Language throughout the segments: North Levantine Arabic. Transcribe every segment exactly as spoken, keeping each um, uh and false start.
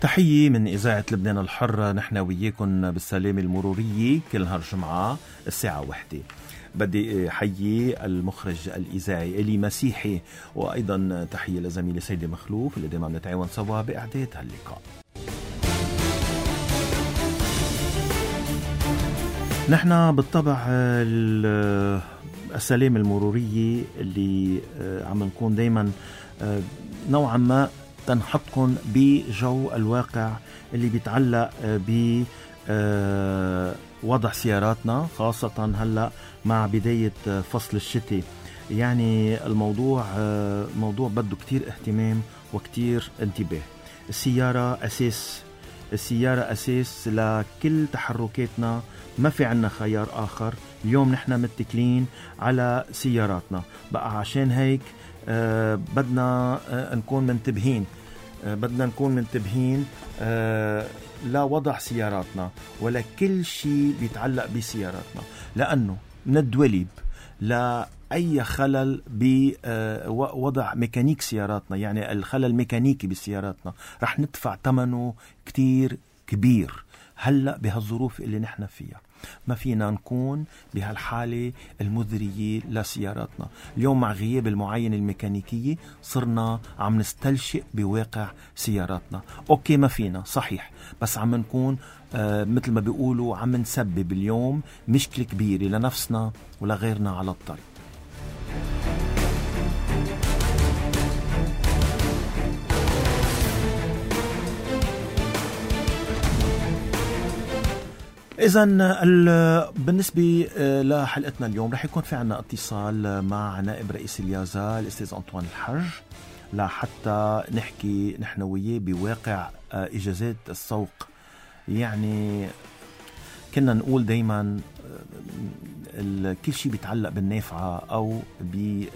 تحية من إذاعة لبنان الحرة، نحن وياكم بالسلامة المرورية كل نهار جمعة الساعة واحدة. بدي حيي المخرج الإذاعي إلي مسيحي، وأيضا تحية لزميلي سيدي مخلوف اللي دائما نتعاون سوا بإعداد هاللقاء. نحن بالطبع السلامة المرورية اللي عم نكون دايما نوعا ما تنحطكم بجو الواقع اللي بيتعلق بوضع سياراتنا، خاصة هلأ مع بداية فصل الشتاء. يعني الموضوع موضوع بده كتير اهتمام وكتير انتباه. السيارة أساس، السيارة أساس لكل تحركاتنا، ما في عنا خيار آخر. اليوم نحن متكلين على سياراتنا بقى، عشان هيك أه بدنا أه نكون منتبهين أه بدنا نكون منتبهين أه لوضع سياراتنا ولا كل شيء بيتعلق بسياراتنا، لأنه من الدوليب لأي خلل بوضع ميكانيك سياراتنا، يعني الخلل الميكانيكي بسياراتنا رح ندفع ثمنه كتير كبير. هلأ بهالظروف اللي نحن فيها ما فينا نكون بهالحالة المذرية لسياراتنا. اليوم مع غياب المعاينة الميكانيكية صرنا عم نستلشئ بواقع سياراتنا. أوكي ما فينا صحيح، بس عم نكون آه مثل ما بيقولوا عم نسبب اليوم مشكلة كبيرة لنفسنا ولغيرنا على الطريق. إذن بالنسبة لحلقتنا اليوم رح يكون في عنا اتصال مع نائب رئيس اليازا الأستاذ أنطوان الحج لحتى نحكي نحن وياه بواقع إجازات السوق. يعني كنا نقول دايما كل شيء بيتعلق بالنافعة أو بي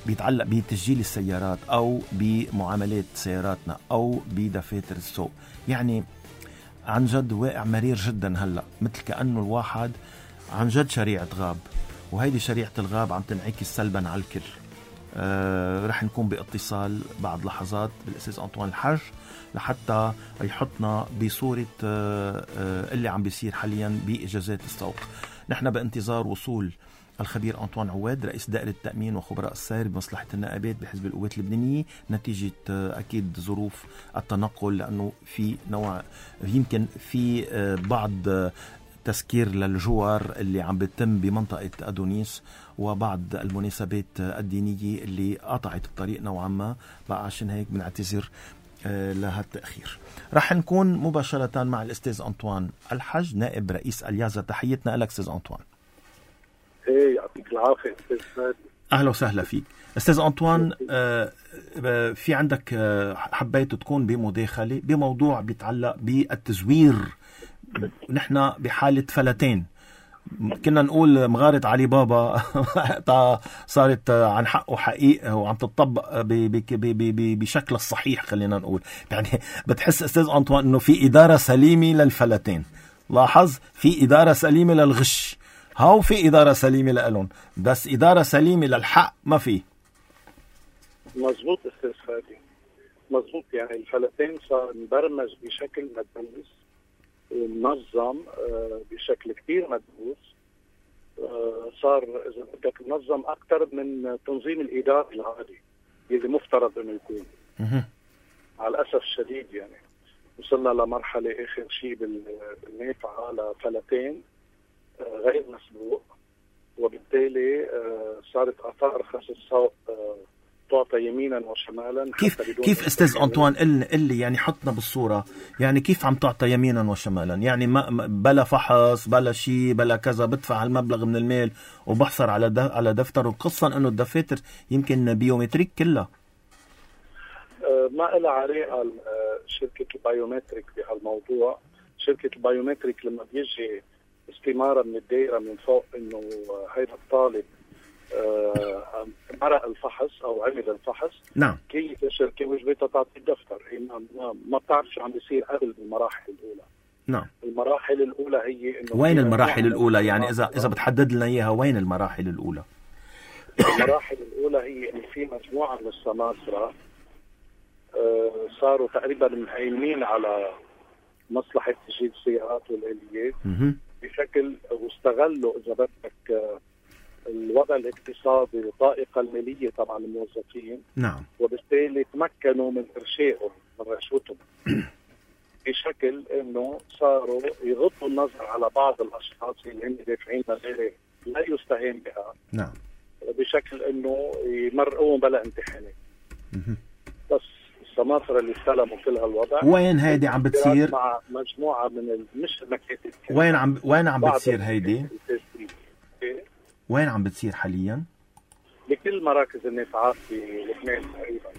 بيتعلق بتسجيل السيارات أو بمعاملات سياراتنا أو بدفاتر السوق. يعني عن جد واقع مرير جدا هلأ، مثل كأنه الواحد عن جد شريعة غاب، وهيدي شريعة الغاب عم تنعكس سلبا على الكل. آه رح نكون باتصال بعد لحظات بالأستاذ أنطوان الحج لحتى يحطنا بصورة آه آه اللي عم بيصير حاليا بإجازات السوق. نحن بانتظار وصول الخبير أنطوان عواد رئيس دائرة التأمين وخبراء السير بمصلحة النائبات بحزب القوات اللبنانية، نتيجة أكيد ظروف التنقل، لأنه في نوع يمكن في بعض تسكير للجوار اللي عم بيتم بمنطقة أدونيس وبعض المناسبات الدينية اللي قطعت الطريق نوعا ما بقى، عشان هيك بنعتذر لهالتأخير. رح نكون مباشرة مع الأستاذ أنطوان الحج نائب رئيس اليازا. تحيتنا لك أستاذ أنطوان. ايه يعطيك العافية أستاذ فادي. أهلا وسهلا فيك أستاذ أنطوان. آه في عندك آه حبيت تكون بمداخلة بموضوع بيتعلق بالتزوير. نحن بحالة فلتين، كنا نقول مغارة علي بابا صارت عن حقه حقيقة وعم تطبق بشكل الصحيح. خلينا نقول يعني بتحس أستاذ أنطوان أنه في إدارة سليمة للفلتين. لاحظ في إدارة سليمة للغش، هاو في إدارة سليمة لألون، بس إدارة سليمة للحق ما في. مزبوط أستاذ فادي، مزبوط. يعني الفلتين صار مبرمج بشكل مدروس ومنظم بشكل كتير مدروس. صار إذا بدك منظم أكتر من تنظيم الإدارة العادي اللي مفترض أنه يكون. على الأسف الشديد يعني وصلنا لمرحلة آخر شيء بالنافعة لفلتين غير مسبوق، وبالتالي صارت آثار خس السوق تعطى يمينا وشمالا. كيف كيف أستاذ أنطوان اللي يعني حطنا بالصورة، يعني كيف عم تعطى يمينا وشمالا؟ يعني ما بلا فحص بلا شيء بلا كذا، بدفع هالمبلغ من المال وبحصر على على دفتر، وقصا إنه الدفاتر يمكن بيومتريك كلها. ما لها علاقة شركة البايومتريك بهالموضوع. شركة البايومتريك لما بيجي استمارة من الدائرة من فوق انه هيدا الطالب آه مرق الفحص او عمل الفحص، نعم، كي الشركة وجبتها تعطي الدفتر. هي ما, ما بتعرف شو عم بيصير قبل المراحل الاولى. نعم، المراحل الاولى هي انه وين المراحل الاولى؟ يعني اذا اذا بتحدد لنا اياها، وين المراحل الاولى؟ المراحل الاولى هي انه في مجموعة من السماسرة صاروا تقريبا مهيمنين على مصلحة تجهيز السيارات والآليات بشكل، واستغلوا إذا بدك الوضع الاقتصادي والطائقة المالية طبعا الموظفين. نعم. وبالتالي تمكنوا من إرشائهم من رشوتهم بشكل إنه صاروا يغضوا النظر على بعض الأشخاص اللي هم دافعين مبالغ لا يستهان بها. نعم. بشكل إنه يمرقوهم بلا امتحانات. بس السماسرة اللي استلموا كل هالوضع. وين هيدي عم بتصير؟ مع مجموعة من مش المكاتب. وين عم وين عم بتصير هيدي؟ وين عم بتصير حاليا؟ بكل مراكز النافعات بلبنان تقريبا.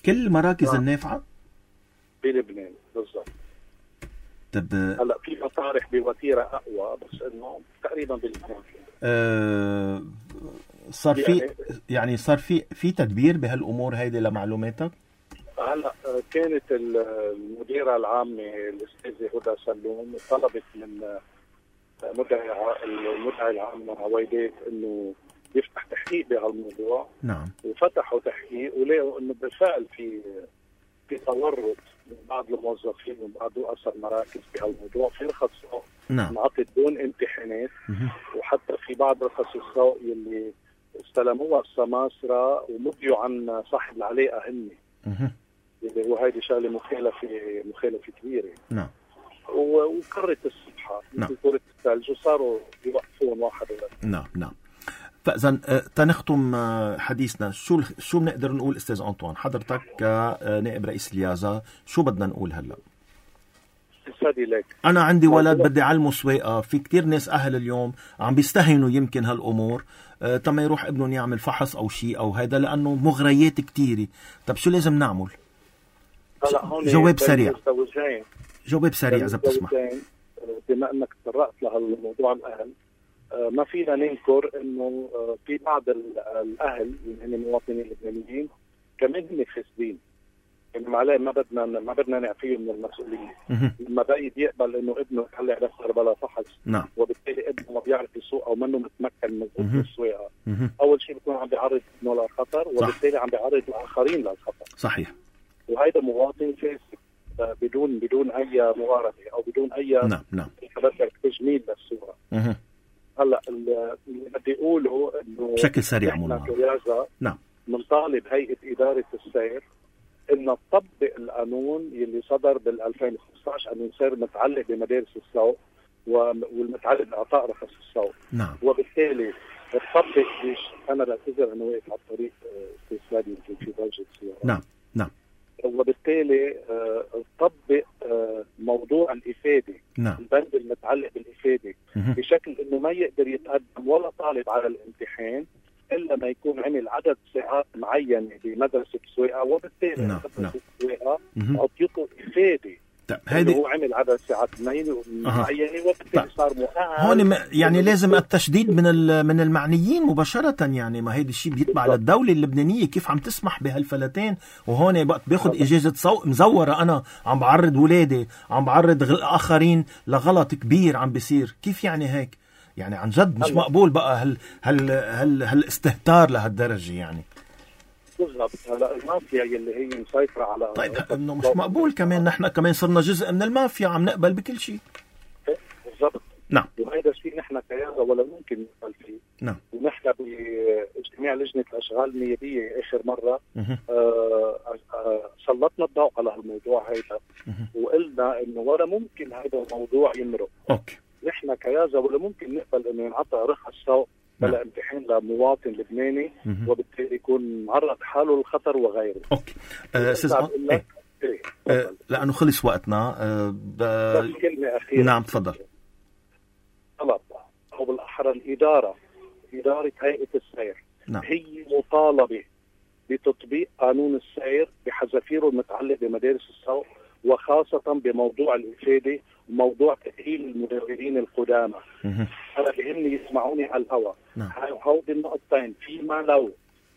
كل مراكز النافعة؟ بلبنان بالضبط. طب هلا في مطارح بوتيرة أقوى بس إنه تقريبا بلبنان. أه صار في يعني صار في في تدبير بهالأمور هيدي لمعلوماتك؟ هلا كانت المديرة العامة الأستاذة هدى سلوم طلبت من مدعي المدعي العام عويدات إنه يفتح تحقيق بهالموضوع. نعم. وفتحوا تحقيق ولقوا إنه بالفعل في في تورط من بعض الموظفين ومن بعض رؤساء المراكز بهالموضوع، في رخص سوق نعم انعطت دون امتحانات. وحتى في بعض رخص السوق يلي استلموها السماسرة ومضيوا عن صاحب العلاقة هن. اللي هو هيدي شغله مخالفه مخالفه كبيره. نعم. وكرت الصبحه مثل كره الثلج وصاروا يوقفون واحد ولا. نعم نعم. فاذا تنختم حديثنا، شو شو بنقدر نقول استاذ انطوان حضرتك كنائب رئيس اليازا، شو بدنا نقول هلا؟ استاذي لك انا عندي ولد بدي علمه سواقه، في كتير ناس اهل اليوم عم بيستهينوا يمكن هالامور تما يروح ابنهم يعمل فحص او شيء او هذا لانه مغريات كتيره. طب شو لازم نعمل؟ جواب سريع جواب سريع اذا بتسمح. بما انك تطرقت لهالموضوع الاهل، ما فينا ننكر انه في بعض الاهل اللي هم مواطنين لبنانيين كمان هم فاسدين، يعني عليه ما بدنا ما بدنا نعفيهم من المسؤوليه. لما بقى يقبل انه ابنه يطلع دفتر بلا فحص، نعم. وبالتالي ابنه ما بيعرف يسوق او منه متمكن من السواقه، اول شيء بيكون عم بيعرض ابنه للخطر، وبالتالي عم بيعرض الاخرين للخطر. صحيح. وهذا مواطن فاسد بدون بدون اي مغاربه او بدون اي نعم نعم تجميل للصوره. اها هلا اللي بدي اقوله انه بشكل سريع مولانا نعم بنطالب هيئه اداره السير انه تطبق القانون يلي صدر بال ألفين وخمسة عشر انه يصير متعلق بمدارس السوق والمتعلق باعطاء رخص السوق. نعم. وبالتالي تطبق ليش انا بعتذر انه واقف على الطريق استاذ فادي يمكن في ضجه سياره. نعم نعم. وبالتالي تطبق موضوع الإفادة. نعم. البند المتعلق بالإفادة بشكل إنه ما يقدر يتقدم ولا طالب على الامتحان إلا ما يكون عمل عدد ساعات معينة بمدرسة السواقة، وبالتالي نعم. مدرسة السواقة أعطيته إفادة. طيب هيدي هو عمل عدد ساعات معينة وبالتالي طيب. صار مؤهل. هون يعني لازم التشديد من من المعنيين مباشرة، يعني ما هيدا الشيء بيتبع للدولة اللبنانية كيف عم تسمح بهالفلتين، وهون باخذ إجازة سوق مزورة، أنا عم بعرض ولادي عم بعرض آخرين لغلط كبير عم بيصير، كيف يعني هيك؟ يعني عن جد مش مقبول بقى هال هال هال هالاستهتار لهالدرجة يعني. بالضبط. هلا المافيا اللي هي مسيطرة على طيب انه مش مقبول كمان نحن كمان صرنا جزء من المافيا عم نقبل بكل شيء. بالضبط. نعم. وهذا الشيء نحن كيازا ولا ممكن نقبل فيه. نعم. ونحن باجتماع لجنة الأشغال النيابية آخر مرة آه آه سلطنا الضوء على هالموضوع هيدا، وقلنا إنه ولا ممكن هذا الموضوع يمرق. أوكي. نحن كيازا ولا ممكن نقبل إنه ينعطى رخص سوق بلا امتحان لمواطن لبناني، وبالتالي يكون معرض حاله للخطر وغيره. اوكي استاذ إيه؟ إيه؟ أه لانه خلص وقتنا. أه ب... بس كلمه اخيره. نعم تفضل. طلب او بالاحرى الاداره اداره هيئه السير. نعم. هي مطالبه بتطبيق قانون السير بحذافيره المتعلق بمدارس السوق، وخاصه بموضوع الافاده وموضوع تاهيل المدربين القدامى. انا بهمني يسمعوني على الهواء. نعم. هودي النقطتين فيما لو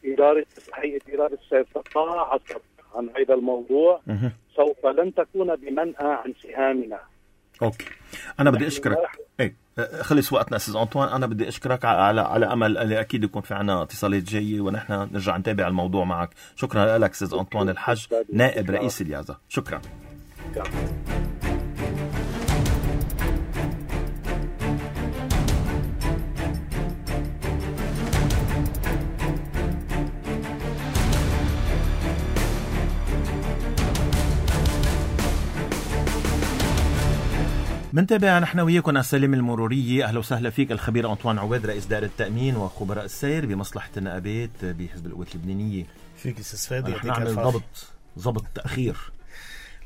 اداره هيئه اداره السير تقاعست عن هذا الموضوع، مه. سوف لن تكون بمنأى عن سهامنا اوكي انا بدي اشكرك. ايه خلص وقتنا استاذ أنطوان. انا بدي اشكرك على على امل اللي اكيد يكون في عنا اتصالات جايه ونحن نرجع نتابع الموضوع معك. شكرا لك استاذ أنطوان الحج نائب رئيس اليازا. شكرا. منتابع نحن وياكم السلم المرورية. أهلا وسهلا فيك الخبير أنطوان عواد رئيس دائرة التأمين وخبراء السير بمصلحة النقابات بحزب القوات اللبنانية. فيك استاذ فادي. نحن نعمل ضبط ضبط تأخير.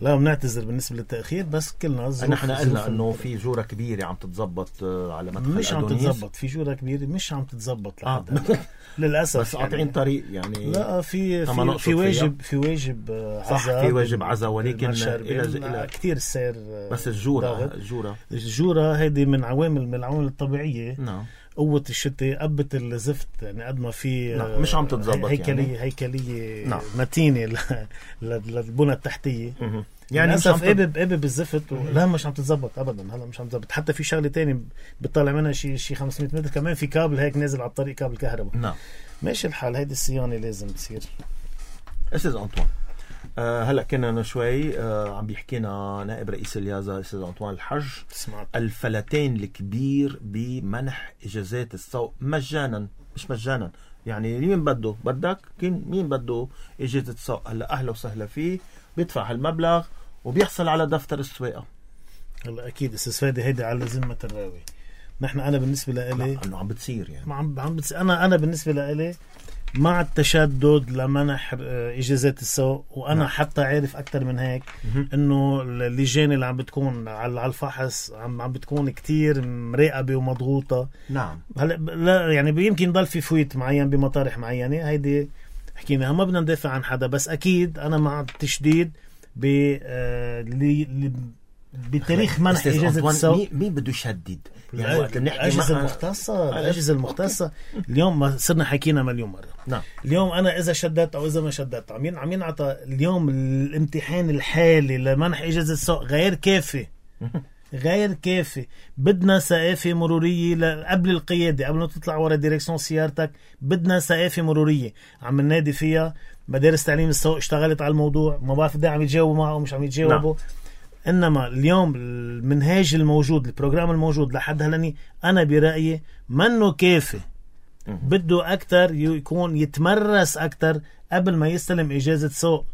لا بنعتذر بالنسبة للتأخير بس كلنا نحن قلنا انه في جورة كبيرة عم تتزبط على مدخل مش عم أدونيس. تتزبط في جورة كبيرة مش عم تتزبط آه. للأسف بس قاطعين يعني طريق يعني. لا في في, في واجب في واجب عزا في واجب عزا ولكن إلى إلى كثير السير. بس الجورة الجورة الجورة هيدي من عوامل من العوامل الطبيعية. نعم. قوة الشتاء قبت الزفت يعني قد ما في نعم. مش عم تتزبط هيكلية يعني. هيكلية نعم. متينة للبنى التحتية. م- يعني للأسف قبب قبب الزفت و... لا مش عم تتزبط ابدا. هلا مش عم تتزبط. حتى في شغله تاني بتطلع منها شيء شيء خمسمية متر كمان في كابل هيك نازل على الطريق كابل كهرباء. نعم ماشي الحال. هيدي الصيانه لازم تصير. استاذ أنطوان أه هلا كنا شوي أه عم بيحكينا نائب رئيس اليازا استاذ أنطوان الحج سمعت. الفلتين الكبير بمنح اجازات السوق مجانا. مش مجانا يعني مين بده بدك مين بده اجازه السوق. هلا اهلا وسهلا فيه بيدفع هالمبلغ وبيحصل على دفتر السواقه. هلا اكيد استاذ فادي هيدي على ذمه الراوي. نحن انا بالنسبه لإلي انه عم بتصير يعني عم عم بتصير. انا انا بالنسبه لإلي مع التشدد لمنح اجازات السوق. وانا نعم. حتى عارف اكثر من هيك انه اللجان اللي عم بتكون على الفحص عم عم بتكون كتير مراقبه ومضغوطه. نعم. هلا لا يعني يمكن ضل في فويت معين بمطارح معينه. هيدي حكينا ما بدنا ندافع عن حدا بس اكيد انا مع التشديد ب آه بتاريخ منح اجازه السوق. مين بده يشدد يعني وقت بنحكي الاجهزه المختصه الاجهزه المختصه اليوم ما صرنا حكينا مليون مره. نعم. اليوم انا اذا شددت او اذا ما شددت عم عم ينعطى اليوم الامتحان الحالي لمنح اجازه السوق غير كافي. غير كافي. بدنا ثقافه مروريه قبل القياده قبل ما تطلع ورا ديريكسيون سيارتك. بدنا ثقافه مروريه عم ننادي فيها. مدارس تعليم السوق اشتغلت على الموضوع. ما بعرف ده عم يتجاوبوا معه ومش عم يتجاوبوا. نعم. انما اليوم المنهاج الموجود البروجرام الموجود لحد هلني انا برايي منه كافي. بده اكثر يكون يتمرس اكثر قبل ما يستلم اجازه سوق.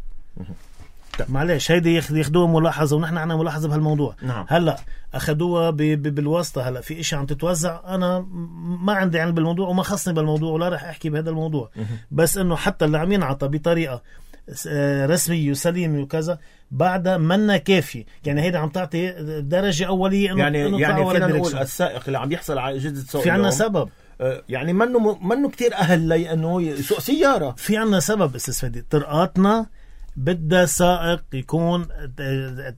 معلش هيدي ياخذوها ملاحظه ونحن عنا ملاحظه بهالموضوع. نعم. هلا اخذوها بالواسطه. هلا في اشي عم تتوزع. انا ما عندي علم بالموضوع وما خصني بالموضوع ولا رح احكي بهذا الموضوع. بس انه حتى اللي عم ينعطى بطريقه رسمي وسليم وكذا بعدها منا كافي. يعني هيدا عم تعطي درجة أولية إنه يعني يعني فينا نقول السائق اللي عم يحصل على إجازة سوق في عنا سبب. يعني منه منه كتير أهل لي إنه يسوق سيارة. في عنا سبب استاذ فادي. طرقاتنا بدها سائق يكون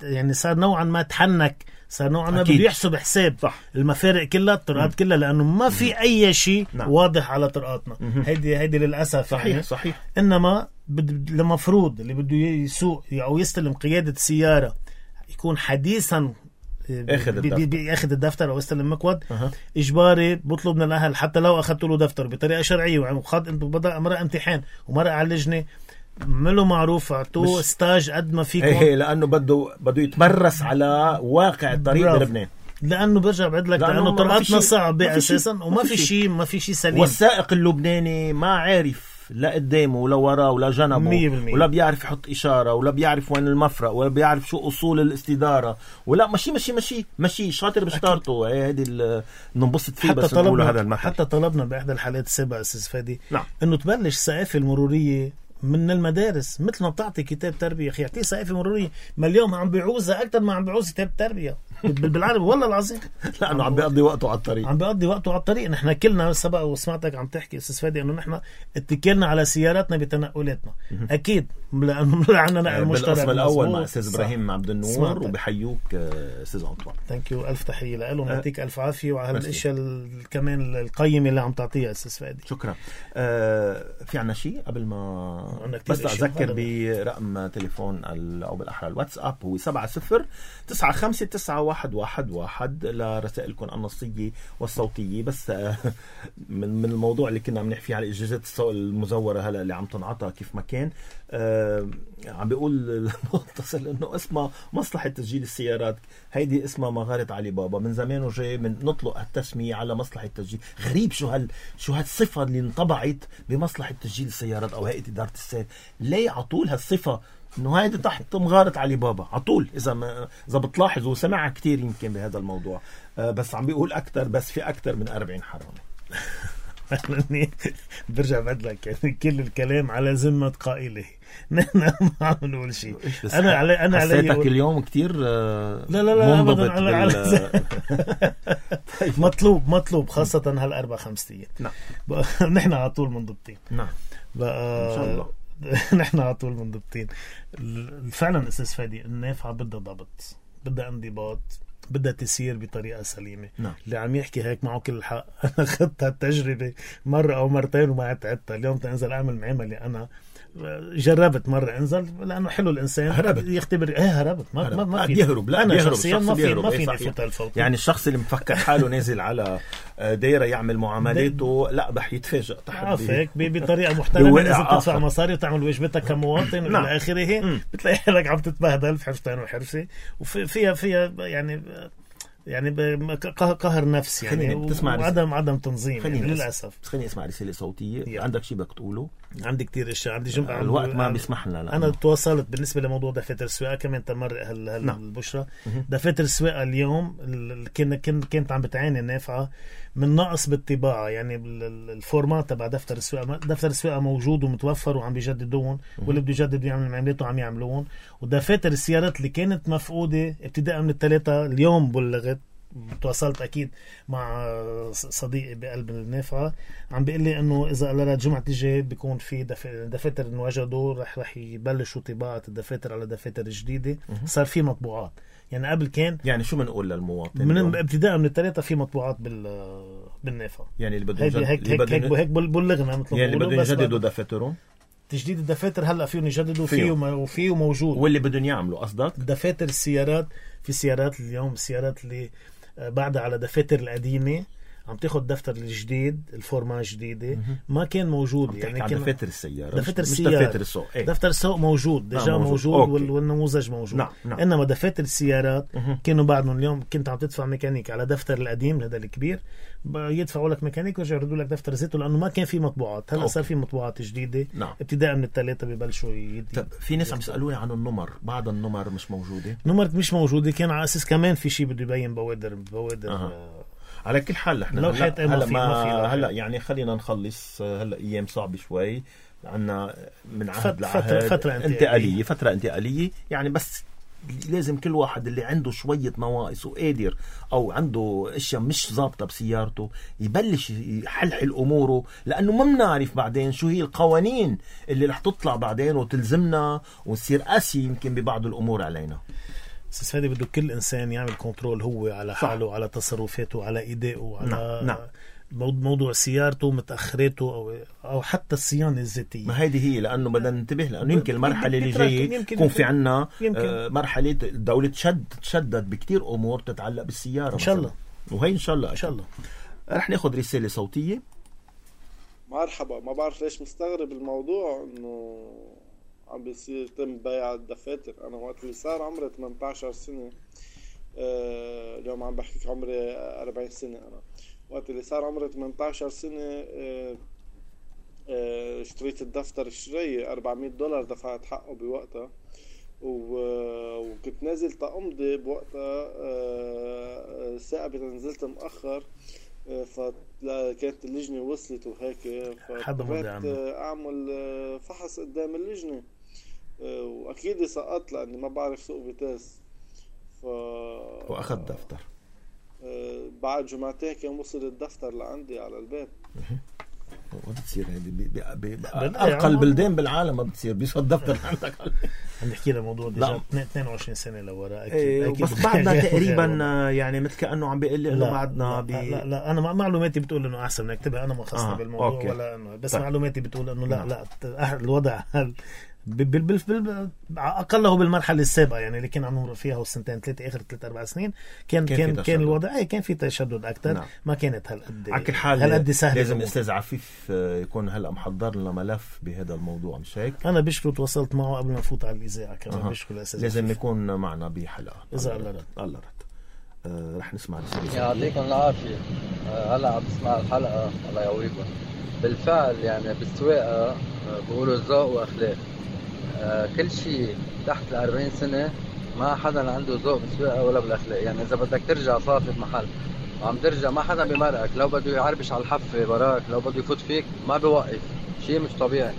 يعني صار نوعا ما تحنك. صار نوعا ما بده يحسب حساب. صح. المفارق كلها الطرقات كلها لأنه ما في أي شيء نعم. واضح على طرقاتنا. هيدي هيدي للأسف. صحيح يعني. صحيح. إنما المفروض اللي بده يسوق أو يستلم قيادة السيارة يكون حديثا اخذ الدفتر, اخذ الدفتر او استلم مكود. أه. اجباري بطلب من الاهل حتى لو اخذت له دفتر بطريقه شرعيه وخد انت بدا مرق امتحان ومرق على اللجنه عملوا معروف اعطوه ستاج قد ما فيكم. ايه لانه بده بده يتمرس على واقع الطريق بلبنان. لانه برجع بعد لك لانه, لأنه طرقاتنا صعبه اساسا وما في شيء ما في شيء سليم. والسائق اللبناني ما عارف لا قدامه ولا وراه ولا جنبه ولا بيعرف يحط إشارة ولا بيعرف وين المفرق ولا بيعرف شو أصول الاستدارة ولا مشي مشي مشي مشي شاطر بشطارته. هيدي ننبسط فيه. بس نقوله هذا المثل. حتى طلبنا بإحدى الحالات السابقة أستاذ فادي نعم. إنه تبلش الثقافة المرورية من المدارس مثل ما بتعطي كتاب تربية. أخي اعطيه ثقافة مرورية. ما اليوم عم بيعوزها أكتر ما عم بيعوز كتاب تربية بالعربي والله العظيم. لأنه عم بيقضي وقته على الطريق. عم بيقضي وقته على الطريق. نحن كلنا سبق وسمعتك عم تحكي أستاذ فادي إنه نحن اتكلنا على سياراتنا بتنقلاتنا. أكيد لأنه عندنا نقل مشترك. بالقسم الأول مع أستاذ إبراهيم عبد النور وبحيوك أستاذ أنطوان. ثانك يو. ألف تحية له. نعطيك ألف عافية وعلى الأشياء كمان القيمة اللي عم تعطيها أستاذ فادي. شكرا. آه في عنا شيء قبل ما بس أذكر برقم تليفون أو بالأحرى الواتساب هو سبعة صفر تسعة خمسة تسعة واحد واحد واحد واحد لرسائلكم النصية والصوتية. بس من من الموضوع اللي كنا عم نحكي على إجازات السوق المزورة هلا اللي عم تنعطى كيف ما كان، آه عم بيقول المتصل إنه اسمها مصلحة تسجيل السيارات، هيدي اسمها مغارة علي بابا، من زمان وجاي من نطلق التسمية على مصلحة تسجيل. غريب شو هال شو هالصفة اللي انطبعت بمصلحة تسجيل السيارات أو هيئة إدارة السير. ليه عطول هالصفة إنه هيدي تحت مغارة علي بابا عطول؟ إذا ما إذا بتلاحظوا وسمعها كتير يمكن بهذا الموضوع. آه بس عم بيقول أكتر، بس في أكتر من أربعين حرامي. برجع بدلك يعني كل الكلام على ذمة قائله، نحن ما عم نقول شيء. أنا علي أنا علي حسيتك أقول... اليوم كتير آه لا لا لا أبدا على بال... على طيب. مطلوب مطلوب خاصة هالأربع خمسة. نعم نحن على طول منضبطين. نعم بقى... إن شاء الله نحن على طول منضبطين. فعلا أستاذ فادي النافعة بدها ضبط، بدها انضباط، بدها تسير بطريقة سليمة. نعم. اللي عم يحكي هيك معه كل الحق. أنا خدت هالتجربة مرة أو مرتين وما عدتها. اليوم تنزل أعمل معاملة أنا جربت مرة انزل لأنه حلو الإنسان هربت. يختبر ايه هربت ما هرب. ما ما في يهرب. لا أنا يهرب. شخصيا ما في ما ايه في نفوت الفوت. يعني الشخص اللي مفكر حاله نازل على دايرة يعمل معاملاته لا رح يتفاجئ تحت هيك بطريقة محترمة. لازم تدفع مصاري وتعمل واجبتك كمواطن نعم. إلى آخره. بتلاقي حالك عم تتبهدل في حفتين وحرسة وفيها فيها يعني يعني قهر نفس يعني وعدم عدم تنظيم يعني للأسف. خليني اسمع رسالة صوتية. يعني. عندك شيء بدك تقوله؟ عندي كتير اشياء. عندي جمعة الوقت ما بيسمح لنا. انا تواصلت بالنسبه لموضوع دفاتر السواقه كمان تمر هال هال نعم. البشرة دفاتر السواقه اليوم كنا كانت عم بتعاني النافعه من نقص بالطباعه. يعني الفورمات تبع دفتر السواقه دفتر السواقه موجود ومتوفر وعم بيجددون واللي بده يجدد يعمل معاملاته عم يعملون. ودفاتر السيارات اللي كانت مفقوده ابتداء من الثلاثه اليوم بلغت. تواصلت أكيد مع صديقي بقلب النافعة عم بيقول لي إنه إذا قررت جمعة الجاي بيكون في دفاتر انوجدوا رح رح يبلشوا طباعة الدفاتر على دفاتر جديدة. صار في مطبوعات يعني قبل كان يعني شو بنقول للمواطن من ابتداء من الثلاثة في مطبوعات بال بالنافعة. يعني اللي بده هيك هيك هيك, هيك, هيك بلغنا مثل يعني اللي بده يجددوا دفاترهم. تجديد الدفاتر هلا فيهم يجددوا فيه وفيه موجود. واللي بدهم يعملوا قصدك دفاتر السيارات في سيارات اليوم السيارات اللي بعد على دفاتر القديمة عم تاخد دفتر الجديد الفورما جديدة ما كان موجود. يعني كان دفاتر السيارة دفاتر السيارة دفاتر السوق ايه؟ دفتر السوق موجود دجا موجود, موجود وال... والنموذج موجود. نعم. نعم. إنما دفاتر السيارات مه. كانوا بعدهم اليوم كنت عم تدفع ميكانيك على دفتر القديم هذا الكبير يدفعوا لك ميكانيك ويرجعوا يردوا لك دفتر زيته لأنه ما كان في مطبوعات. هلا صار في مطبوعات جديدة. نعم. ابتداء من الثلاثة ببلشوا يدي. طب في ناس عم يسألوني عن النمر. بعض النمر مش موجودة. نمر مش موجودة كان على أساس كمان في شيء بده يبين بوادر بوادر أه. على كل حال احنا هلا هلا, هلا, ما, ما هلا يعني خلينا نخلص. هلا ايام صعبه شوي عنا من عهد لعهد فترة, فترة انتقاليه فتره انتقاليه يعني. بس لازم كل واحد اللي عنده شويه نواقص وقادر او عنده اشياء مش ضابطه بسيارته يبلش يحلحل اموره لانه ما بنعرف بعدين شو هي القوانين اللي رح تطلع بعدين وتلزمنا ونصير قاسي يمكن ببعض الامور علينا. بس هذا بده كل إنسان يعمل كنترول هو على حاله وعلى تصرفاته على إيدائه على نعم. موضوع سيارته متأخرته أو أو حتى الصيانة الذاتية. ما هذه هي لأنه بدنا ننتبه لأنه يمكن المرحلة اللي جاية يكون في عنا آه مرحلة الدولة تشد تشدد بكتير أمور تتعلق بالسيارة إن شاء الله. وهي إن شاء الله إن شاء الله رح ناخد رسالة صوتية. مرحبا. ما بعرف ليش مستغرب الموضوع إنه عم بيصير تم بيع الدفاتر. أنا وقت اللي صار عمري ثمانية عشر سنة أه اليوم عم بحكيك عمري أربعين سنة. أنا وقت اللي صار عمري ثمانية عشر سنة أه أه اشتريت الدفتر الشرية أربعمية دولار دفعت حقه بوقتها وكنت نازل تأمضي بوقتها. أه ساعة نزلت مؤخر فكانت اللجنة وصلت وهيك فقررت أعمل فحص قدام اللجنة وأكيد سقطت لأني ما بعرف سوق بيتاس. ف... وأخذ دفتر. بعد جمعتين كان وصل الدفتر لعندي على البيت. وما بتصير هيدي بأقل البلدان بالعالم ما بتصير بيصير دفتر عندك. عم نحكي له موضوع ديجا اثنين وعشرين سنة لورا. أكيد بس بعدنا تقريبا يعني مثل كأنه عم بيقول لي إنه بعدنا بي... لا, لا أنا معلوماتي بتقول إنه أحسن نكتبها أنا ما خصني آه. بالموضوع أوكي. ولا إنه بس طيب. معلوماتي بتقول إنه لا لا الوضع بال بال بال اقله بالمرحله السابقه يعني اللي كان عم نمر فيها والسنتين ثلاثه اخر ثلاث اربع سنين كان كان كان, كان الوضع ايه كان في تشدد اكثر. نعم. ما كانت هالقد على كل حال هالقد سهله. لازم الاستاذ عفيف يكون هلا محضر لنا ملف بهذا الموضوع مش هيك؟ انا بشكره تواصلت معه قبل ما نفوت على الاذاعه كمان. أه. بشكره الاستاذ لازم يكون معنا بحلقه اذا الله رد. الله رد. آه رح نسمع رسالة. يعطيكم العافيه. آه هلا عم بسمع الحلقه الله يقويكم. بالفعل يعني بالسواقه آه بقولوا ذوق واخلاق. آه كل شيء تحت الأربعين سنة ما حدا عنده ذوق بالسواقة ولا بالأخلاق. يعني إذا بدك ترجع صافي بمحل وعم ترجع ما حدا بيمرقك، لو بده يعربش على الحفة براك، لو بده يفوت فيك ما بيوقف. شيء مش طبيعي.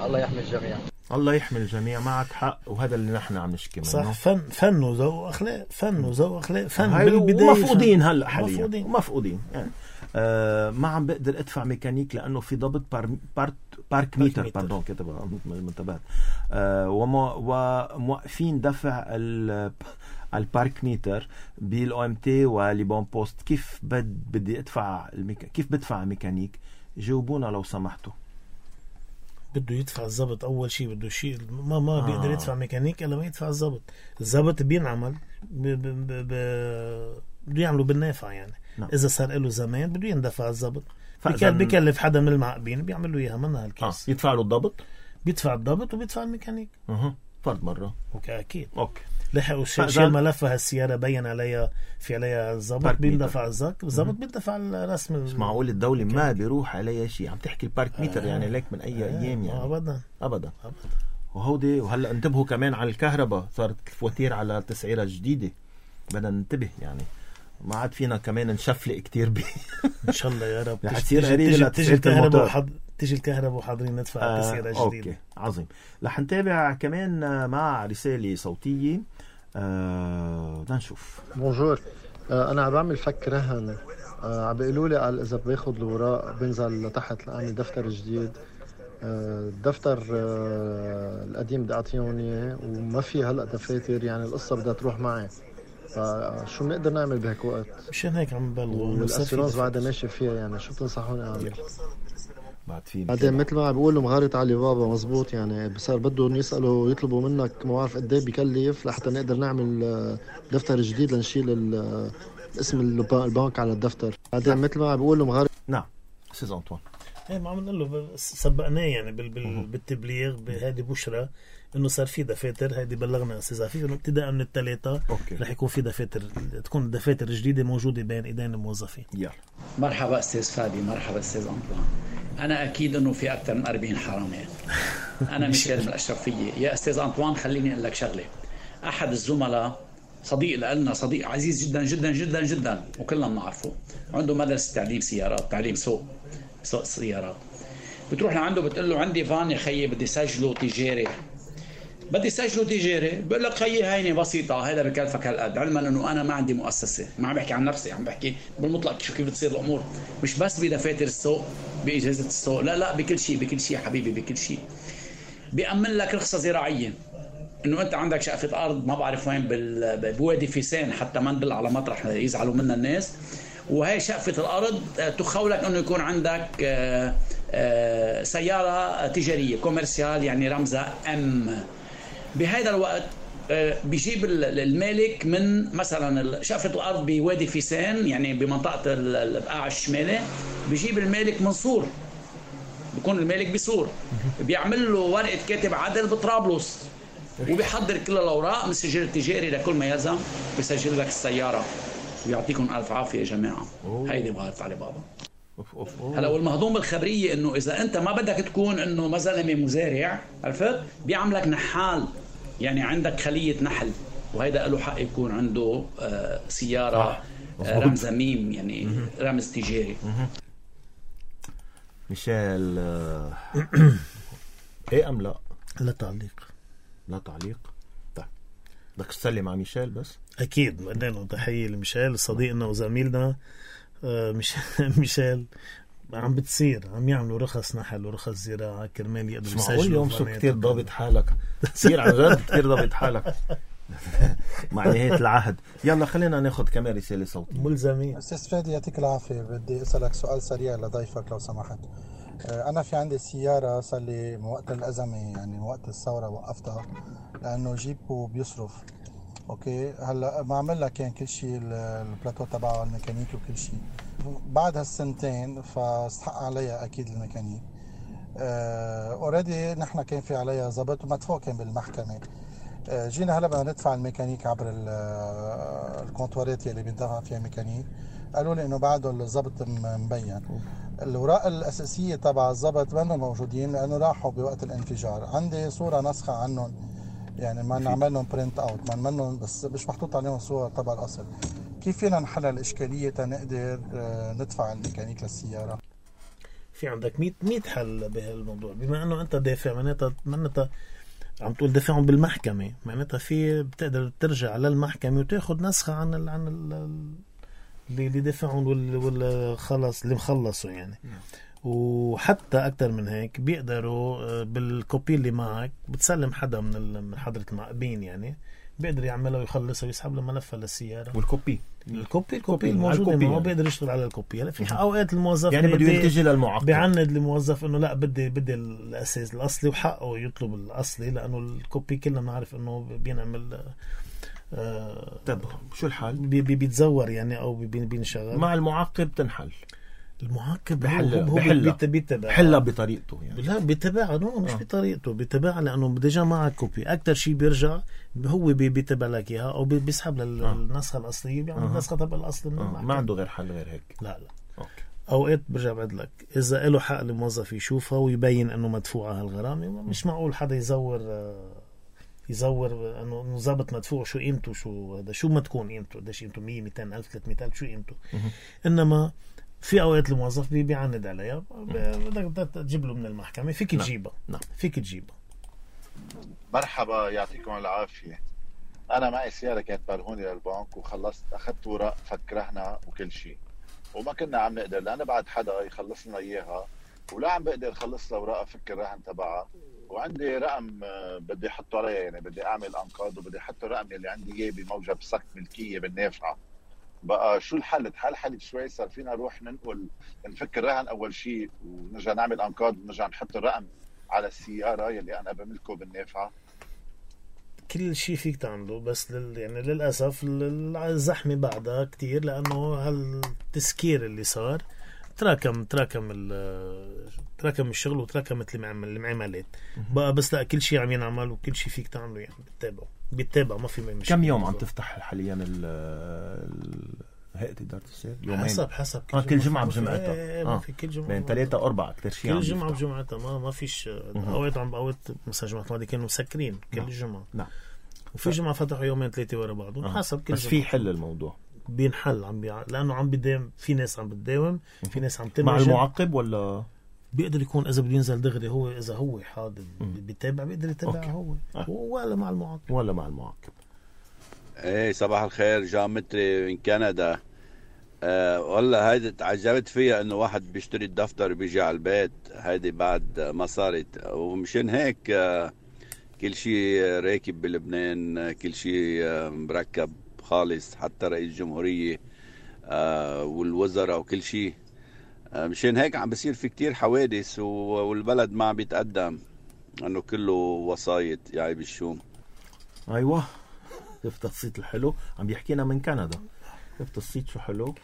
الله يحمي الجميع. الله يحمي الجميع. معك حق وهذا اللي نحن عم نشكي منه. صح. فن فن وذوق واخلاق. فن وذوق واخلاق. فن بالبداية مفقودين هلا حاليا. مفقودين. مفقودين يعني. آه ما عم بقدر ادفع ميكانيك لانه في ضبط بار بارت بارك ميتر باردون كتبها منتبهات. آه وموقفين دفع البارك ميتر بالاو ام تي وليبون بوست. كيف بد بدي ادفع الميكا... كيف بدفع ميكانيك؟ جاوبونا لو سمحتوا. بده يدفع الضبط اول شيء. بده شيء ما ما آه. بيقدر يدفع ميكانيك الا ما يدفع الضبط. الضبط بينعمل ب... ب... ب... ب... بده يعملوا بالنافع يعني. نعم. اذا صار له زمان بده يندفع الضبط. بكل بكلف حدا من المعقبين بيعمل له اياها منها هالكيس. آه. يدفع له الضبط، بيدفع الضبط وبيدفع الميكانيك. اها فرد مره. اوكي اكيد. اوكي. لحقوا شيل ملف هالسياره بين عليها في عليها الضبط بيندفع الزك الضبط بيندفع الرسم. مش معقول الدوله ما بيروح عليها شيء. عم تحكي البارك ميتر آه. يعني لك من اي آه. ايام يعني. ابدا ابدا ابدا. وهودي وهلا انتبهوا كمان على الكهرباء. صارت الفواتير على تسعيره جديده. بدنا ننتبه يعني. ما عاد فينا كمان نشفلق كتير بيه. ان شاء الله يا رب. تيجي تيجي تيجي الكهرباء وحض... تيجي الكهرباء وحاضرين ندفع آه تسعيره جديده. اوكي عظيم. رح نتابع كمان مع رساله صوتيه. آه بدنا نشوف. بونجور. آه انا عم بعمل فك رهن. آه عم بيقولوا لي قال اذا باخذ الاوراق بنزل لتحت لاني دفتر جديد. آه الدفتر آه القديم بدي اعطيهم اياه وما في هلا دفاتر يعني القصه بدها تروح معي. فشو بنقدر نعمل بهيك وقت؟ مشان هيك عم ببلغوا والاسيرانس بعدها ماشي فيها يعني. شو بتنصحوني اعمل؟ بعد في بعدين مثل ما عم بيقولوا مغارة علي بابا مزبوط يعني. صار بدهم يسالوا يطلبوا منك ما بعرف قد ايه بكلف لحتى نقدر نعمل دفتر جديد لنشيل اسم البنك على الدفتر. بعدين مثل ما عم بيقولوا مغارة. نعم استاذ انطوان. ايه ما عم نقول له سبقناه يعني بال بال بالتبليغ بهذه بشرى انه صار في دفاتر. هيدي بلغنا استاذ عفيف انه ابتداء من الثلاثه رح يكون في دفاتر تكون دفاتر جديده موجوده بين ايدين الموظفين. يلا مرحبا استاذ فادي. مرحبا استاذ انطوان. انا اكيد انه في اكثر من أربعين حرامات. انا ميشيل من الاشرفيه. يا استاذ انطوان خليني اقول لك شغله. احد الزملاء صديق لنا صديق عزيز جدا جدا جدا جدا وكلنا بنعرفه. عنده مدرسه تعليم سيارات تعليم سوق سوق السيارات. بتروح لعنده بتقول له عندي فان يا خيي بدي سجله تجاري. بدي سجله تجاري. بقول لك خيي هيني بسيطه هذا بكلفك هالقد. علما انه انا ما عندي مؤسسه. ما عم بحكي عن نفسي عم بحكي بالمطلق شو كيف بتصير الامور. مش بس بدفاتر السوق باجازه السوق لا لا بكل شيء بكل شيء حبيبي بكل شيء. بيأمن لك رخصه زراعيه انه انت عندك شقفه ارض ما بعرف وين بوادي فيسان حتى ما ندل على مطرح يزعلوا منا الناس. وهي شقفه الارض تخولك انه يكون عندك سياره تجاريه كوميرسيال يعني رمزها ام. بهذا الوقت بيجيب المالك من مثلا شقفة الأرض بوادي فيسان يعني بمنطقة البقاع الشمالي. بيجيب المالك من صور. بيكون المالك بصور. بيعمل له ورقة كاتب عدل بطرابلس وبيحضر كل الأوراق من السجل التجاري لكل ما يلزم. بيسجل لك السيارة. ويعطيكم ألف عافية يا جماعة. هيدي مغارة علي بابا. هلا والمهضوم بالخبريه انه اذا انت ما بدك تكون انه ما زلمه مزارع عرفت بيعملك نحال يعني عندك خليه نحل وهيدا له حق يكون عنده آه سياره آه رمز ميم يعني رمز تجاري. ميشيل آه ايه ام لا؟ لا تعليق. لا تعليق. طيب بدك تسلم مع ميشيل بس؟ اكيد بدنا تحيه لميشيل صديقنا وزميلنا. آه مش ميشيل عم بتصير عم يعملوا رخص نحل ورخص زراعة كرمال يقدروا يسجلوا. اليوم شو كتير ضابط حالك كتير عن جد كتير ضابط حالك مع نهاية العهد. يلا خلينا ناخد كمان رسالة صوتية. ملزمين. أستاذ فادي يعطيك العافية. بدي أسألك سؤال سريع لضيفك لو سمحت. أنا في عندي سيارة صار لي من وقت الأزمة، يعني من وقت الثورة وقفتها لأنه جيبه بيصرف. أوكي هلا بعمل لك يعني كل شيء، البلاتو تبعه الميكانيك وكل شيء. بعد هالسنتين فاستحق عليها أكيد الميكانيك. اوريدي نحن كان في عليها ضبط ومدفوع كان بالمحكمة. أه جينا هلا بدنا ندفع الميكانيك عبر الكونتوارات اللي بيدفع فيها ميكانيك، قالوا لي إنه بعده الضبط مبين. الأوراق الأساسية تبع الضبط ما موجودين لأنه راحوا بوقت الانفجار. عندي صورة نسخة عنهم، يعني ما نعمل لهم برنت اوت، ما نعملهم بس مش محطوط عليهم صور تبع الأصل. كيف فينا نحل الإشكالية تنقدر ندفع الميكانيك للسيارة؟ في عندك مية مية حل بهالموضوع. بما أنه أنت دافع معناتها معناتها عم تقول دافعهم بالمحكمة، معناتها في بتقدر ترجع للمحكمة وتاخد نسخة عن ال عن ال اللي اللي دافعهم وال خلص اللي مخلصوا يعني. وحتى أكتر من هيك بيقدروا بالكوبي اللي معك بتسلم حدا من من حضرة المعقبين، يعني بيقدر يعملها ويخلصها ويسحب له ملفها للسيارة. والكوبي الكوبي الكوبي الموجودة معه يعني. بيقدر يشتغل على الكوبي. هلا في اوقات الموظف يعني بده يلتجي للمعقب، بيعند الموظف انه لا بدي بدي الاساس الاصلي، وحقه يطلب الاصلي لانه الكوبي كلنا بنعرف انه بينعمل آه طب شو الحل؟ بي بي بيتزور يعني او بي بينشغل مع المعقب. تنحل المعقب بحل هو بحلها بيتبع حلها بطريقته يعني. لا بيتبعها نو مش آه. بطريقته بيتبعها لانه ديجا معك كوبي. اكتر شيء بيرجع هو بيتبع لك اياها او بيسحب للنسخه الاصليه، بيعمل آه. النسخه تبع الاصل من آه. المحكمة. ما عنده غير حل غير هيك. لا لا أوكي. اوقات برجع بعد لك اذا له حق الموظف يشوفها ويبين انه مدفوعه هالغرامه، مش معقول حدا يزور يزور انه ضابط مدفوع شو قيمته، شو هذا شو ما تكون قيمته، قديش قيمته مية مئتين ألف ثلاثمئة ألف شو قيمته. انما في اوقات الموظف بيعند عليها، بدك تجيب له من المحكمه فيك تجيبها. نعم فيك تجيبها. مرحبا يعطيكم العافيه. انا معي سياره كانت برهوني للبنك وخلصت اخذت ورق فك رهنها وكل شيء، وما كنا عم نقدر لأنا بعد حدا يخلص لنا إياها، ولا عم بقدر خلص لها ورقة فك الرهن تبعها، وعندي رقم بدي أحطه عليها، يعني بدي أعمل أنقاض وبدي أحطه الرقم اللي عندي إياه بموجب سك ملكية بالنافعة. بقى شو الحل؟ تحل حل شوي، صار فينا نروح ننقل نفك الرهن أول شيء ونرجع نعمل أنقاض ونرجع نحط الرقم على السيارة يلي أنا بملكه بالنافعة. كل شيء فيك تعمله، بس لل... يعني للأسف الزحمة بعدها كتير، لأنه هالتسكير اللي صار تراكم تراكم ال... تراكم الشغل وتراكمت المعاملات بقى. بس لا كل شيء عم ينعمل وكل شيء فيك تعمله، يعني بتتابعه بيتابع ما في مشكلة. كم يوم عم تفتح حاليا ال هيئة إدارة السير؟ يومين حسب حسب كل, آه كل جمعة بجمعتها. ايه ما في كل جمعة بين ثلاثة أربعة كتير شيء كل جمعة بجمعتها. ما ما فيش أوقات عم أوقات مثلا جمعة الماضية كانوا مسكرين كل جمعة. نعم. وفي جمعة فتحوا يومين ثلاثة ورا بعض آه. حسب كل بس جمعة. في حل الموضوع بينحل عم بيع... لأنه عم بداوم، في ناس عم بتداوم، في ناس عم تمشي مع المعقب ولا بيقدر يكون إذا بده ينزل دغري هو، إذا هو حاضر بيتابع بيقدر يتابع هو آه. ولا مع المعقب ولا مع المعقب. ايه صباح الخير، جان متري من كندا. أه والله هيدي تعجبت فيها انه واحد بيشتري الدفتر بيجي على البيت، هيدي بعد ما صارت. ومشان هيك أه كل شيء راكب بلبنان، كل شيء أه مركب خالص، حتى رئيس الجمهورية أه والوزراء وكل شيء. أه مشان هيك عم بصير في كتير حوادث والبلد ما عم بيتقدم، انه كله وسايط يعني بالشوم. ايوه شفت الصيت الحلو عم بيحكينا من كندا. شفت الصيت شو حلو.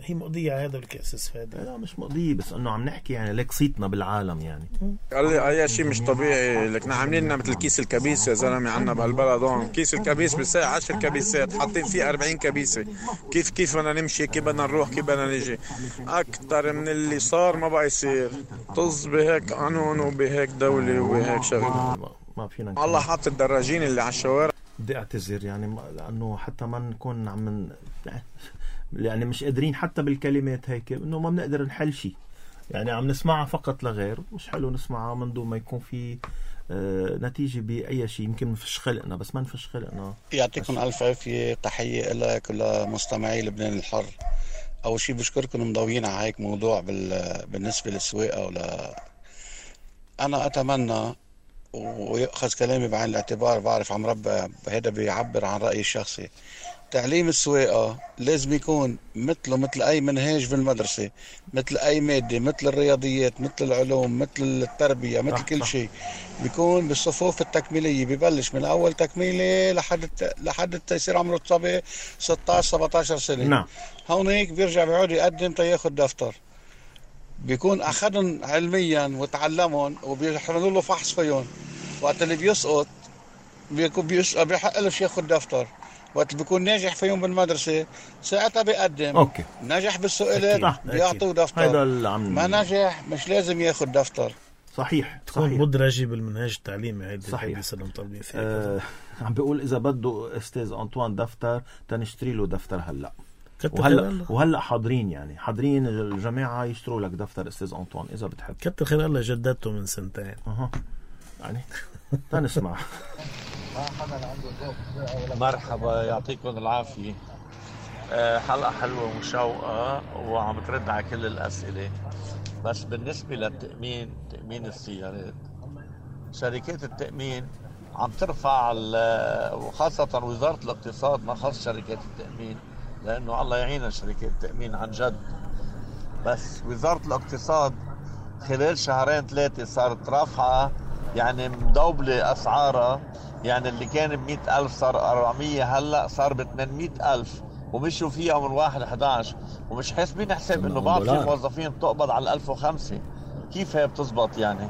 هي مقضية على هذا الكاسس هذا. لا مش مقضية، بس انه عم نحكي يعني ليك صيتنا بالعالم يعني. قال لي اي شيء مش طبيعي، لك عاملين لنا مثل كيس الكبيس يا زلمه عنا بهالبلد هون. كيس الكبيس بساعة عشر كبيسات حاطين فيه أربعين كبيسه. كيف كيف بدنا نمشي، كيف بدنا نروح، كيف بدنا نيجي. اكثر من اللي صار ما بقى يصير. طز بهيك قانون وبهيك دوله وبهيك شغله. ما فينا الله حاط الدراجين اللي على الشوارع. بدي اعتذر يعني لانه حتى ما نكون عم يعني مش قادرين حتى بالكلمات هيك انه ما بنقدر نحل شيء، يعني عم نسمعها فقط لغير. مش حلو نسمعها من دون ما يكون في آه نتيجة بأي شيء. يمكن نفش خلقنا بس ما نفش خلقنا. يعطيكم ألف عافية، تحية لك ولمستمعي لبنان الحر. أول شيء بشكركم مضويين على هيك موضوع بالنسبة للسواقة. ولا أنا أتمنى ويأخذ كلامي بعين الاعتبار، بعرف عم ربى هذا بيعبر عن رأيي الشخصي. تعليم السواقة لازم يكون مثله مثل أي منهاج بالمدرسة، مثل أي مادة، مثل الرياضيات، مثل العلوم، مثل التربية، مثل كل شيء. بيكون بالصفوف التكميلية، ببلش من أول تكميلة لحد لحد يصير عمره تصبي ستة عشر سبعة عشر سنة. نعم. هون هيك بيرجع بيعود يقدم تياخد دفتر، بيكون أخذهم علميا وتعلمهم وبيحملوا له فحص فيهم. وقت اللي بيسقط بيكون بيسقط بيحق له ياخد دفتر. وقت بيكون ناجح فيهم بالمدرسة ساعتها بيقدم. أوكي. ناجح بالسؤالات بيعطوه دفتر. هذا العم... ما ناجح مش لازم ياخد دفتر. صحيح تكون صحيح مدرجة بالمنهاج التعليمي. هيدي صحيح. هيدي طالبين فيها. آه عم بيقول إذا بده أستاذ أنطوان دفتر تنشتري له دفتر هلا. كتر وهلا وهلا حاضرين يعني حاضرين الجماعة يشتروا لك دفتر أستاذ أنطوان إذا بتحب. كتر خير الله جددته من سنتين. أها يعني تنسمع. مرحبا يعطيكم العافية. حلقة حلوة ومشوقة وعم ترد على كل الأسئلة. بس بالنسبة للتأمين تأمين السيارات، شركات التأمين عم ترفع وخاصة وزارة الاقتصاد ما خص شركات التأمين لأنه الله يعين شركات التأمين عن جد. بس وزارة الاقتصاد خلال شهرين ثلاثة صارت رافعة يعني مدوبلة أسعارها. يعني اللي كان بمئة ألف صار أربعمية، هلأ صار بثمانمئة ألف ومشوا فيها من واحد إحدى عشر ومش حاسبين حساب إنه بعض في موظفين بتقبض على الألف وخمسة. كيف هي بتزبط يعني؟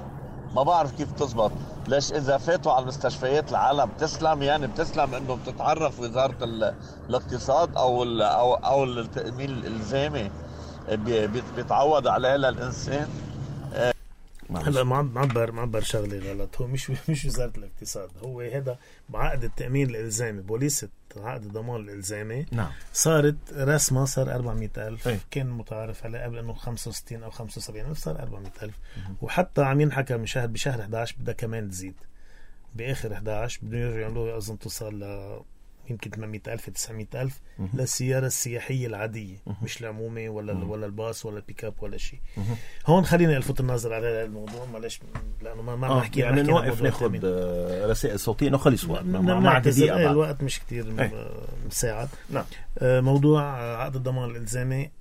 ما بعرف كيف بتزبط. ليش إذا فاتوا على المستشفيات العالم بتسلم يعني بتسلم إنه بتتعرف وزارة الاقتصاد أو ال أو أو التأمين الإلزامي بيتعود عليه للإنسان. هلا معبر معبر شغله غلط. هو مش مش وزاره الاقتصاد، هو هذا بعقد التامين الالزامي، بوليصه عقد الضمان الالزامي. نعم. صارت رسمه صار أربعمئة ألف. ايه؟ كان متعارف عليه قبل انه خمسة وستين او خمسة وسبعين ألف، صار أربعمئة ألف. وحتى عم ينحكى من شهر بشهر إحدى عشر بدها كمان تزيد، باخر إحدى عشر بده يرجعوا له اظن توصل ل يمكن ثمانمئة ألف تسعمئة ألف للسيارة السياحية العادية، مش العمومة ولا ال ولا الباص ولا البيك اب ولا شيء. هون خلينا نلفت النظر على الموضوع معلش لأنه ما ما نحكي يعني نوقف ناخذ رسائل صوتية نخلص وقت مع دقيقة. الوقت مش كتير مساعد. نعم. موضوع عقد الضمان الإلزامي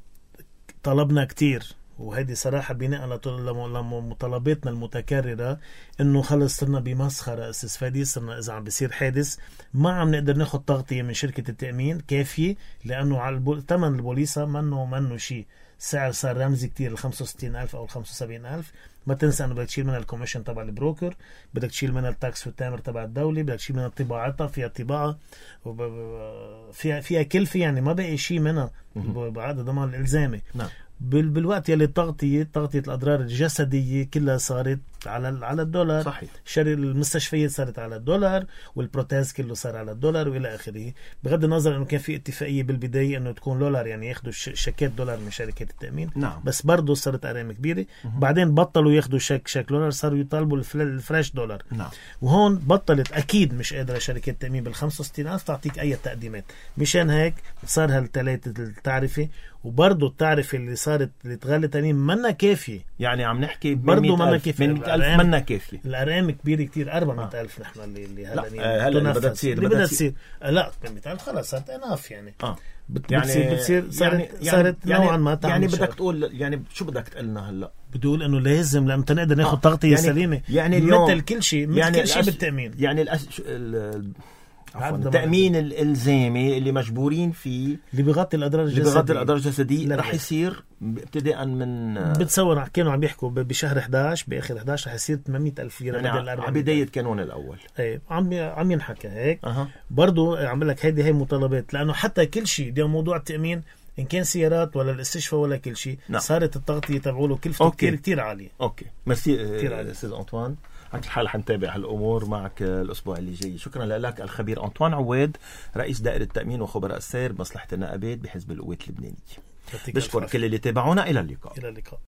طلبنا كتير، وهذه صراحة بناء لمطالباتنا المتكررة انه خلص صرنا بمسخرة استاذ فادي. صرنا اذا عم بيصير حادث ما عم نقدر ناخد تغطية من شركة التأمين كافية، لانه على البول... ثمن البوليصة منه منه شيء. السعر صار رمزي كتير، ال خمسة وستين ألف او ال خمسة وسبعين ألف. ما تنسى انه بدك تشيل منها الكوميشن تبع البروكر، بدك تشيل منها التاكس والتامر تبع الدولة، بدك تشيل منها طباعتها، فيها طباعة وب... فيها فيها كلفة، يعني ما بقي شيء منها بعقد الضمان الإلزامي. نعم. بالوقت يلي تغطية تغطية الأضرار الجسدية كلها صارت على على الدولار. صحيح. شري المستشفيات صارت على الدولار، والبروتاز كله صار على الدولار وإلى آخره. بغض النظر إنه كان في اتفاقية بالبداية إنه تكون دولار، يعني ياخدوا شيكات دولار من شركات التأمين. نعم. بس برضو صارت أرقام كبيرة. بعدين بطلوا ياخدوا شيك شيك دولار، صاروا يطالبوا الفلاش دولار. نعم. وهون بطلت أكيد مش قادرة شركة التأمين بال خمسة وستين ألف تعطيك أي تقديمات. مشان هيك صار هالثلاثة التعرفة، وبرضو التعرفة اللي صارت اللي تغلي تاني منا كافية. يعني عم نحكي برضو منا كافية، من مئة ألف منا كافية. الأرقام كبيرة كتير. أربعمئة ألف نحن اللي اللي هلا هلا اللي بدها تصير اللي بدها تصير لا ثمانمئة ألف خلاص صارت اناف يعني. اه يعني بتصير بتصير صارت يعني صارت يعني نوعا ما. يعني بدك تقول يعني شو بدك تقلنا هلا؟ بدي اقول انه لازم لما نقدر ناخذ آه. تغطية يعني سليمة يعني اليوم مثل كل شيء مثل يعني كل شيء بالتأمين. يعني الأس... ال... التأمين الإلزامي اللي مجبورين فيه اللي بيغطي الأضرار الجسدية اللي بيغطي الأضرار الجسدية رح يصير ابتداء من بتصور كانوا عم بيحكوا بشهر إحدى عشر بآخر إحدى عشر رح يصير ثمانمئة ألف ليرة يعني بدل أربعمئة. على بداية كانون الأول. ايه عم عم ينحكى هيك. أه. برضو عم لك هيدي هي مطالبات، لأنه حتى كل شيء اليوم موضوع التأمين إن كان سيارات ولا الاستشفاء ولا كل شيء. نعم. صارت التغطية تبعوله كلفته كتير كتير عالية. أوكي ميرسي أستاذ أنطوان. على الحال حنتابع هالأمور معك الأسبوع اللي جاي. شكرا لك الخبير أنطوان عواد، رئيس دائرة التأمين وخبراء السير بمصلحة النقابات بحزب القوات اللبنانية. بشكر كل اللي تابعونا. إلى اللقاء. إلى اللقاء.